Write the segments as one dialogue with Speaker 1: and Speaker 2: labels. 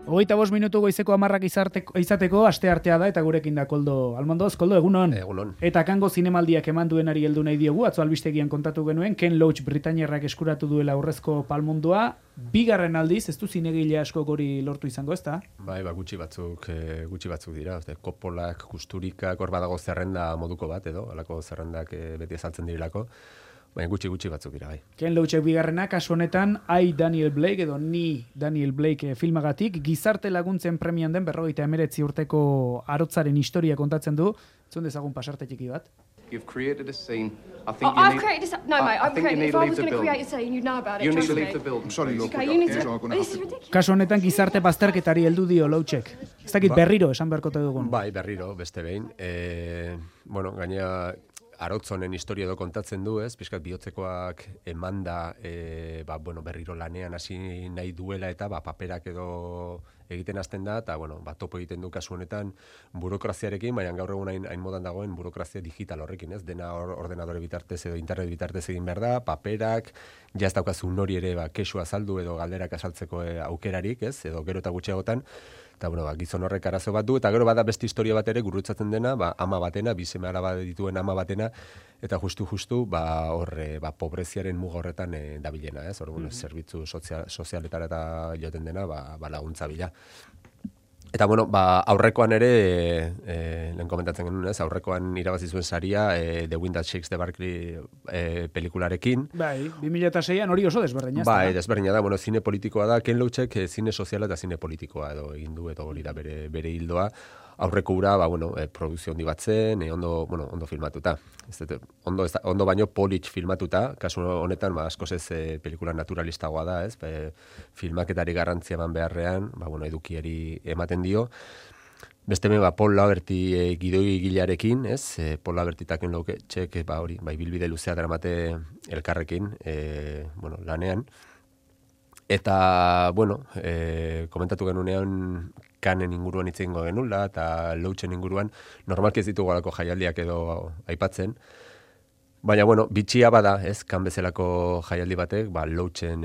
Speaker 1: 25 minutu goizeko 10 izateko asteartea da eta gurekin da Koldo Almondoz. Koldo, egunon.
Speaker 2: Egunon.
Speaker 1: Eta Kango zinemaldiak eman duenari heldu nahi diogu, atzo albistegian kontatu genuen, Ken Loach Britainiarrak eskuratu duela aurrezko palmondua. Bigarren aldiz, ez du zinegile asko hori lortu izango, ezta?
Speaker 2: Bai, gutxi batzuk dira. Koppolak, Kusturikak, hor badago zerrenda moduko bat edo, halako zerrendak beti ezaltzen dirilako. Baina gutxi batzuk dira, bai.
Speaker 1: Ken Loachek bigarrena, kasu honetan, I Daniel Blake edo Ni Daniel Blake filmagatik, gizarte laguntzen premian den 59 urteko arotzaren historia kontatzen du. Zuen dezagun pasarte txiki bat.
Speaker 3: You've created a scene. I think
Speaker 4: I've created a scene. No, mate, I've created. If I was going to create a scene, you'd know about it.
Speaker 3: You need to
Speaker 4: trust
Speaker 3: leave
Speaker 4: me.
Speaker 3: the building.
Speaker 5: I'm sorry, Lord.
Speaker 4: Okay, you need to.
Speaker 5: So I'm gonna
Speaker 4: This
Speaker 5: have
Speaker 4: is
Speaker 5: to...
Speaker 4: ridiculous.
Speaker 1: Kasu honetan gizarte bazterketari heldu dio Loachek. Ez dakit berriro esan beharko dugun.
Speaker 2: Bai, berriro, beste behin. Gainera, arotzonen historia edo kontatzen du, ez? Pixkat bihotzekoak emanda, berriro lanean hasi nahi duela eta paperak edo egiten hasten da, eta topo egiten du kasu honetan burokraziarekin, baina gaur egun hain modan dagoen burokrazia digital horrekin, ez? Dena ordenadore bitartez edo internet bitartez egin behar da, paperak, jaz daukazu nori ere kexua azaldu edo galderak azaltzeko aukerarik, ez? Edo gero eta gutxiagotan, eta gizon horrek arazo bat du, eta gero bada beste historia bat ere gurutzatzen dena, ama batena, bi seme alaba dituen ama batena, eta justu pobreziaren muga horretan dabilena, ez? Zerbitzu sozialetara eta joten dena, laguntza bila. Eta aurrekoan ere, lehen komentatzen genuen, ez? Aurrekoan irabazi zuen saria, The Wind That Shakes the Barclay pelikularekin.
Speaker 1: Bai, 2006an hori oso desberdina.
Speaker 2: Bai, desberdina da, zine politikoa da, Ken Loachek zine soziala eta zine politikoa edo egin du, eta hori da bere hildoa. Aurreko ura, produkzio handi bat zen, ondo filmatuta. Ondo baino polit filmatuta, kasu honetan, askoz ez pelikula naturalistagoa da, ez? Filmaketari garrantzia eman beharrean, edukiari ematen dio. Beste Paul Laverty gidoigilearekin, ez? Paul Laverty eta Ken Loachek, bilbide luzea daramate elkarrekin, lanean. Eta, komentatu genunean Kanen inguruan hitz egingo genula, eta Loachen inguruan, normalki ez ditugu alako jaialdiak edo aipatzen. Baina, bitxia bada, ez, kan bezalako jaialdi batek, Loachen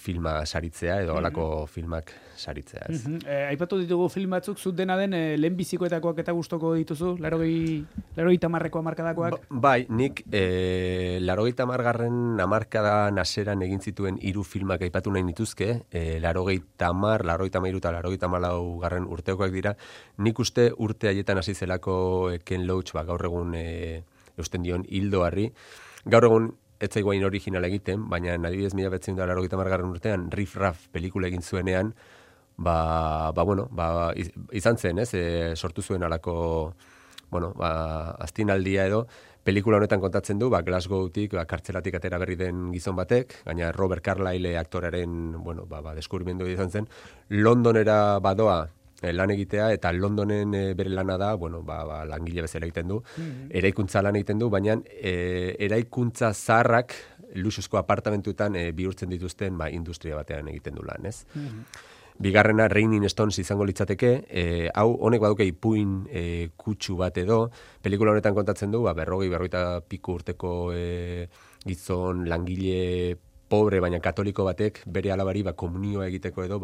Speaker 2: filma saritzea edo alako filmak saritzea, ez.
Speaker 1: Aipatu ditugu film batzuk, zut dena den lehenbizikoetakoak eta gustoko dituzu, 80ko hamarkadakoak?
Speaker 2: Bai, nik 80garren hamarkadan hasieran egin zituen 3 filmak aipatu nahi nituzke, 80, 83 eta 84garren urtekoak dira. Nik uste urte haietan hasi zelako Ken Loach, gaur egun eusten dion hildoarri. Gaur egun ez zaiguain originala egiten, baina adibidez 1980garren urtean Riff Raff pelikula egin zuenean, izan zen, ez? Sortu zuen alako, astinaldia edo, pelikula honetan kontatzen du, Glasgowtik, kartzelatik atera berri den gizon batek, gaina Robert Carlyle aktoraren, deskubrimendu izan zen, Londonera badoa lan egitea, eta Londonen bere lana da, langile bezala egiten du, eraikuntza lan egiten du, baina eraikuntza zaharrak luxuzko apartamentuetan bihurtzen dituzten industria batean egiten du lan, ez? Bigarrena Raining Stones izango litzateke, hau honek baduke ipuin kutsu bat edo, pelikula honetan kontatzen du, 40 piku urteko gizon langile pobre, baina katoliko batek bere alabari komunioa egiteko edo,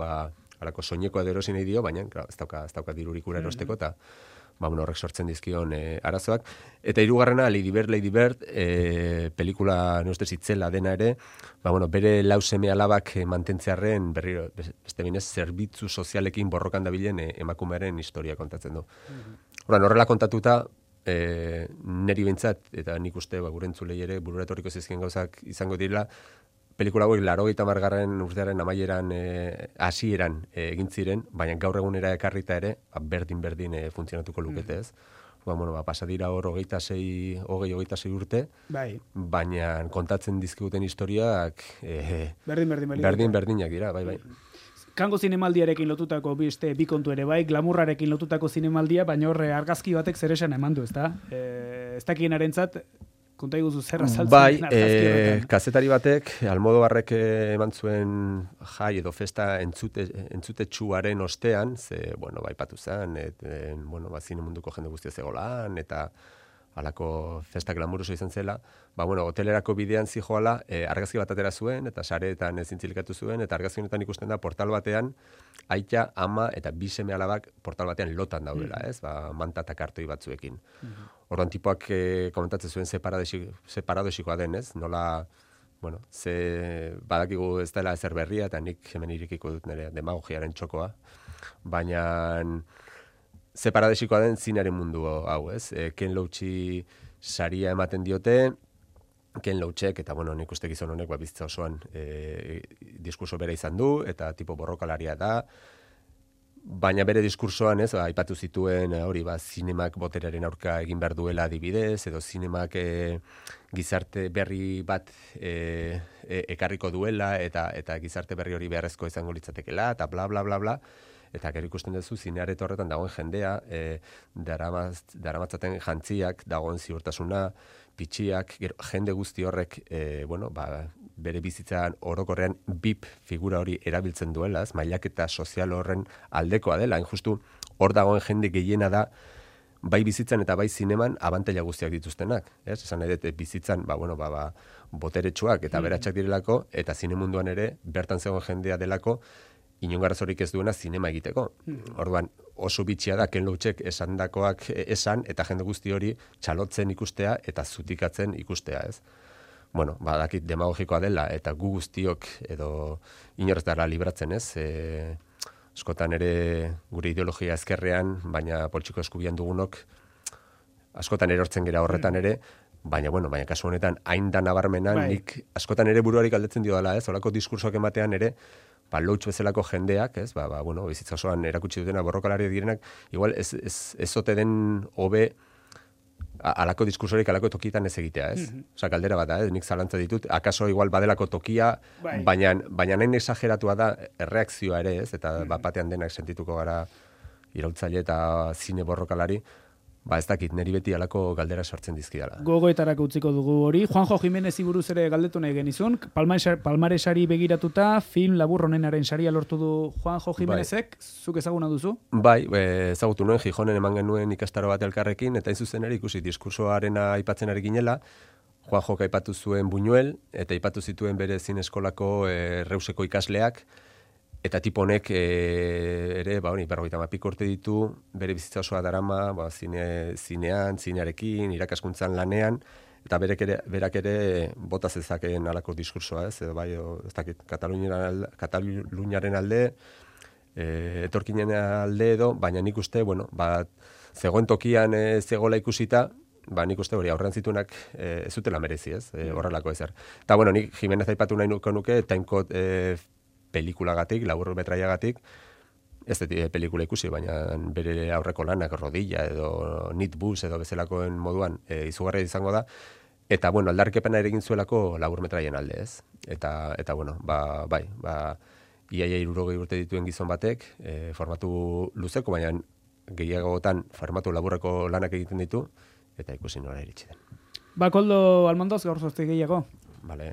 Speaker 2: alako soinekoa erosi nahi dio, baina ez dauka dirurik ura erosteko, eta horrek sortzen dizkion arazoak. Eta 3. Lady Bird, pelikula neustez itzela dena ere, bere lau seme alabak mantentzearren, berriro, beste binez, zerbitzu sozialekin borrokan dabilen emakumearen historia kontatzen du. Horrela kontatuta, neri bintzat, eta nik uste gure entzulei ere, burura etorriko zizkien gauzak izango direla, pelikula hauek 80garren urtearen amaieran hasieran egin ziren, baina gaur egunera ekarrita ere, berdin funtzionatuko lukete, ez? Pasa dira hor 26 urte, baina kontatzen dizkiguten historiak berdinak dira, bai.
Speaker 1: Kango zinemaldiarekin lotutako bi kontu ere bai, glamurrarekin lotutako zinemaldia, baina horre argazki batek zer esan eman du, ezta? Ez dakienarentzat, konta iguzu zer azaltzen.
Speaker 2: Bai, kazetari batek, Almodovarrek eman zuen jai edo festa entzutetsuaren ostean, ze, aipatu zen, zine munduko jende guztia zegolan, eta alako festa glamuroso izan zela, hotelerako bidean zijoala, argazki bat atera zuen, eta sareetan ezintzilikatu zuen, eta argazki honetan ikusten da portal batean, aita, ama eta bi seme alabak portal batean lotan daudela, ez? Manta eta kartoi batzuekin. Orduan tipoak komentatzen zuen ze paradoxikoa den, ez? Nola, badakigu ez dela ezer berria, eta nik hemen irikiko dut nire demagogiaren txokoa, baina ze paradoxikoa den zinearen mundu hau, ez? Ken Loachi saria ematen diote, Ken Loachek, eta nik uste gizon honek bizitza osoan diskurso bera izan du, eta tipo borrokalaria da, baina bere diskursoan, ez, aipatu zituen hori, zinemak boteraren aurka egin behar duela adibidez, edo zinemak gizarte berri bat ekarriko duela, eta gizarte berri hori beharrezko izango litzatekela, eta bla, bla, bla, bla. Eta gero ikusten duzu, zineareto horretan dagoen jendea, daramatzaten jantziak, dagoen ziurtasuna, pitxiak, jende guzti horrek, bere bizitzan orokorrean BIP figura hori erabiltzen duela, mailaketa sozial horren aldekoa dela, justu hor dagoen jende gehiena da, bai bizitzan eta bai zineman abantaila guztiak dituztenak, ez? Esan nahi dut bizitzan, boteretsuak eta beratxak direlako, eta zinemunduan ere, bertan zegoen jendea delako, inongarrazorik ez duena zinema egiteko. Orduan, oso bitxia da Ken Loachek esandakoak esan, eta jende guzti hori txalotzen ikustea eta zutikatzen ikustea, ez? Badakit demagogikoa dela, eta gu guztiok edo inorez dara libratzen, ez? Askotan ere gure ideologia ezkerrean, baina poltsiko eskubian dugunok, askotan erortzen gera horretan ere, baina kasu honetan, hain da nabarmenan, nik askotan ere buruari galdetzen dio dela, ez? Horako diskursoak ematean ere, Loach bezalako jendeak, ez? Bizitza osoan erakutsi dutena borrokalari direnak, igual ez ote den hobe alako diskursorik alako tokitan ez egitea, ez? Osa, galdera bat da, nik zalantza ditut, akaso igual badelako tokia, baina nahin exageratua da erreakzioa ere, ez? Eta batean denak sentituko gara iraultzaile eta zine borrokalari, ez dakit, niri beti alako galdera sortzen dizkidala.
Speaker 1: Gogoetarako utziko dugu hori. Juanjo Jimenez buruz ere galdetu nahi genizun. Palmaresari begiratuta, film labur honenaren saria lortu du Juanjo Jimenezek. Zuk ezaguna duzu?
Speaker 2: Bai, ezagutu nuen, Gijonen eman genuen ikastaro bat elkarrekin, eta izuzen ere ikusi diskursoarena aipatzen ari ginela. Juanjo aipatu zuen Buñuel, eta aipatu zituen bere zineskolako Reuseko ikasleak, eta tipo honek ere, 50 urte ditu, bere bizitza osoa darama, zinean, zinearekin, irakaskuntzan lanean, eta berak ere bota zezakeen alako diskursoa, ez? Ez dakit, Kataluniaren alde, etorkinen alde edo, baina nik uste, zegoen tokian zegoela ikusita, nik uste hori aurrean zituenak ez zutela merezi, ez? Horrelako ezer. Eta, nik Jimenez aipatu nahi nuke, Timecode pelikulagatik, labur metraiagatik, ez dut pelikula ikusi, baina bere aurreko lanak, Rodilla edo Nitbus edo bezalakoen moduan izugarria izango da, eta, aldarrikapena ere egin zuelako labur metraien alde, ez? Eta iaia 60 urte dituen gizon batek, formatu luzeko, baina gehiagotan formatu laburreko lanak egiten ditu, eta ikusi nora iritsi den.
Speaker 1: Koldo Almondoz, gaur zozte gehiago.
Speaker 2: Vale,